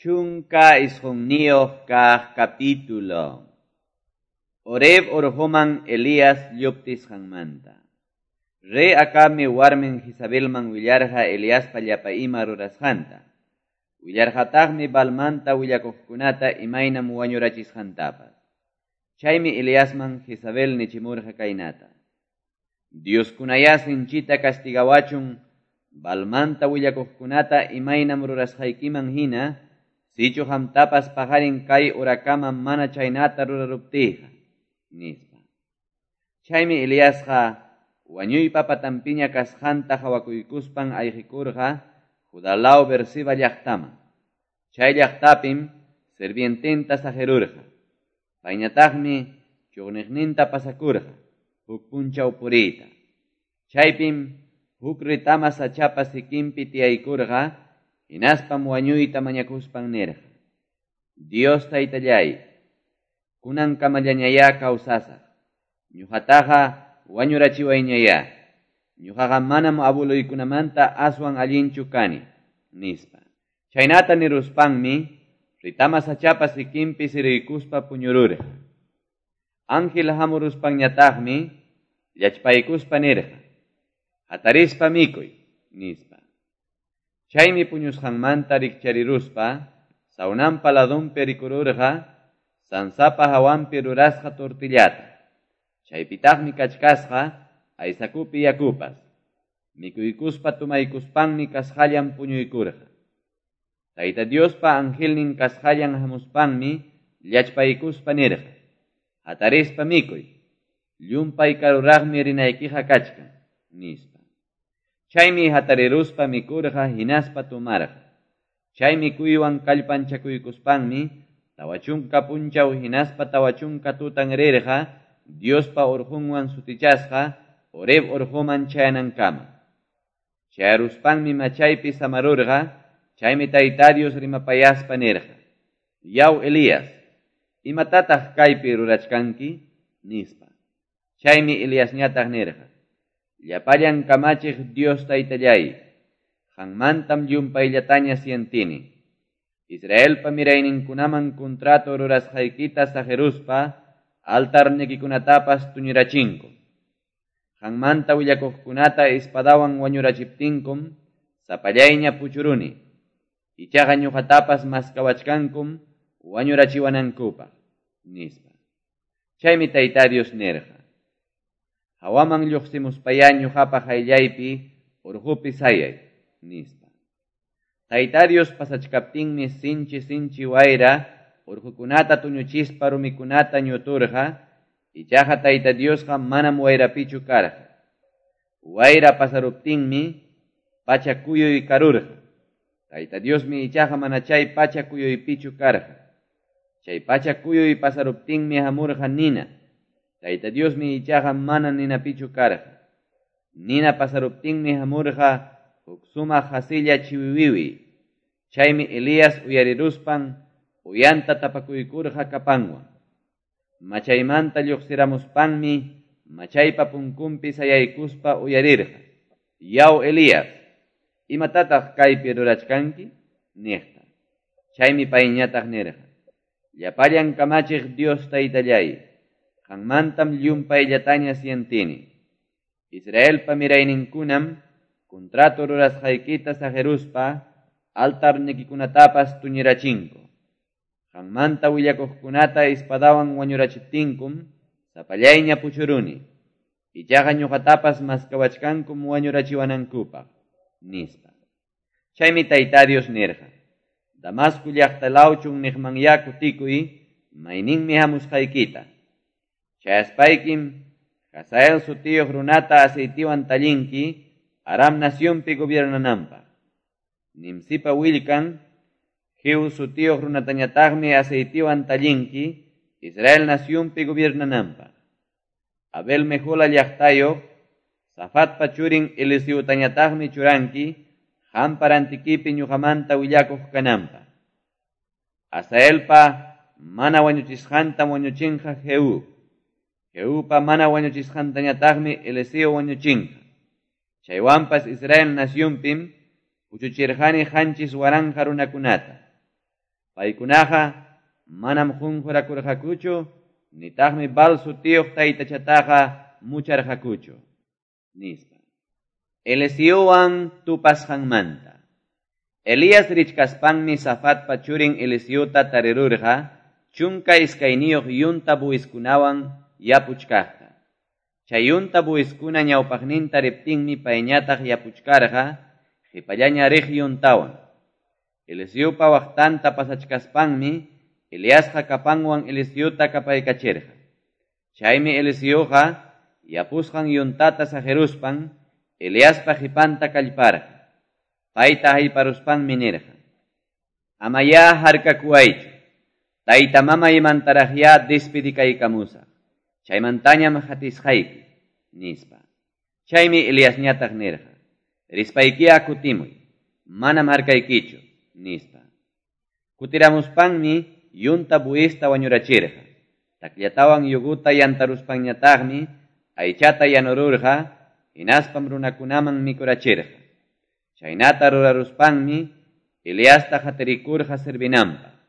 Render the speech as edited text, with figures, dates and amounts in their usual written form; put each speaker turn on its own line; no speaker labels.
19 kaq capítulo. Horeb orqoman Elías lluptisqanmanta. Rey Acabmi warmin Jezabelman willarqa Eliaspa llapa ima rurasqanta. Willarqataqmi Baalmanta willakuqkunata imaynam wañurachisqantapas. Chaymi Eliasman Jezabel nichimurqa kaynata: Dioskunayá sinchita castigawachun Baalmanta willakuqkunata imaynam rurasqaykiman hina, sichu qamtapas paqarin kay horakama mana chaynata ruraruptiyqa, nispa. Chaymi Eliasqa wañuypa patanpiña kasqanta qawakuykuspan ayqikurqa Judá law Beerseba llaqtaman. Chay llaqtapim sirviententa saqirurqa. Payñataqmi chuqniqninta pasakurqa huk punchaw puriyta. Chaypim huk retama sachapa sikinpi tiyaykurqa, hinaspam wañuyta mañakuspan nirqa: Dios taytallay, kunankamallañayá kawsasaq. Ñuqataqa wañurachiwayñayá. Ñuqaqa manam abueluykunamanta aswan allinchu kani, nispa. Chaynata niruspanmi retama sachapa sikinpi siriykuspa puñururqa. Ángel hamuruspanñataqmi llachpaykuspa nirqa: Hatarispa mikuy, nispa. Chaymi puñusqanmanta rikchariruspa sawnanpa ladunpi rikururqa sansapa hawanpi rurasqa tortillata. Chaypitaqmi kachkasqa aysakupi yakupas. Mikuykuspa tumaykuspanmi kasqallan puñuykurqa. Tayta Diospa angelnin kasqallan hamuspanmi llachpaykuspa nirqa: Hatarispa mikuy, llumpay karuraqmi rinaykiqa kachkan, nispa. Chaymi hatariruspa mikurqa hinaspa tumarqa. Chay mikuywan kallpanchakuykuspanmi 40 punchaw hinaspa 40 tutan rirqa Diospa orqunwan sutichasqa Horeb orquman chayanankama. Chayaruspanmi machaypi samarurqa, chaymi Tayta Dios rimapayaspa nirqa: Yaw Elías, imatataq kaypi rurachkanki? Nispa. Chaymi Eliasñataq nirqa: Llapallan kamachiq Dios taytallay, qanmantam llumpayllataña sientini. Israelpa mirayninkunaman contrato rurasqaykita saqiruspa altarnikikunatapas tuñirachinku. Qanmanta willakuqkunata espadawan wañurachiptinkum sapallayña puchuruni. Ichaqa ñuqatapas maskawachkankum wañurachiwanankupaq, nispa. Chaymi Tayta Dios nirqa: Hawaman lluqsimuspayá ñuqapa qayllaypi urqupi sayay, nispa. Tayta Dios pasachkaptinmi sinchi sinchi wayra urqukunata tuñuchispa rumikunata ñuturqa, ichaqa Tayta Diosqa manam wayrapichu karqa. Wayra pasaruptinmi pacha kuyuy karurqa. Tayta Diosmi ichaqa mana chay pacha kuyuypichu karqa. Chay pacha kuyuy pasaruptinmi hamurqa nina. Tayta Diosmi ichaqa mana ninapichu karqa. Nina pasaruptinmi hamurqa huk sumaq hasilla chiwiwiwi. Chaymi Elías uyariruspan uyanta tapakuykurqa kapanwan. Machaymanta lluqsiramuspanmi machaypa punkunpi sayaykuspa uyarirqa: Yaw Elías, imatataq kaypi rurachkanki? Niqta. Chaymi payñataq nirqa: Llapallan kamachiq Dios taytallay, qanmantam llumpayllataña sientini. Israelpa mirayninkunam contrato rurasqaykita saqiruspa altarnikikunatapas tuñirachinku. Qanmanta willakuqkunata espadawan wañurachiptinkum sapallayña puchuruni. Ichaqa ñuqatapas maskawachkankum wañurachiwanankupaq, nispa. Chaymi Tayta Dios nirqa: Damasco llaqta law chunniqmanyá kutikuy, mayninmi hamusqaykita. Chayaspaykim Hazael sutiyuq runata aceitiwan tallinki Aram nacionpi gobiernananpaq. Nimsipa willkan Jehu sutiyuq runatañataqmi aceitiwan tallinki Israel nacionpi gobiernananpaq. Abel Mehola llaqtayuq Safatpa churin Eliseutañataqmi churanki qampa rantikipi ñuqamanta willakuq kananpaq. Hazaelpa mana wañuchisqantam wañuchinqa Jehu. Jehupa mana wañuchisqantañataqmi Eliseo wañuchinqa. Chaywanpas Israel nacionpim puchuchirqani 7,000 runakunata. Paykunaqa manam qunqurakurqakuchu nitaqmi Baal sutiyuq taytachataqa mucharqakuchu, nispa. Eliseowan tupasqanmanta. Elías richkaspanmi Safatpa churin Eliseota tarirurqa 12 yunta bueyeskunawan yapuchkaqta. Chay yunta bueyeskuna ñawpaqninta riptinmi payñataq yapuchkarqa qipallaña riq yuntawan. Eliseopa waqtanta pasachkaspanmi Eliasqa capanwan Eliseota capaykachirqa. Chaymi Eliseoqa yapusqan yuntata saqiruspan Eliaspa qipanta kallparqa. Payta hayparuspanmi nirqa: Amayá harkakuwaychu, tayta mamaymantaraqyá despedikaykamusaq, chaymantañam qatisqayki, nispa. Chaymi Eliasñataq nirqa: Rispaykiyá kutimuy, manam harkaykichu, nispa. Kutiramuspanmi yunta bueyesta wañurachirqa. Takllatawan yuguta yantaruspanñataqmi aychata yanururqa, hinaspam runakunaman mikurachirqa. Chaynata ruraruspanmi Eliasta qatirikurqa servinanpaq.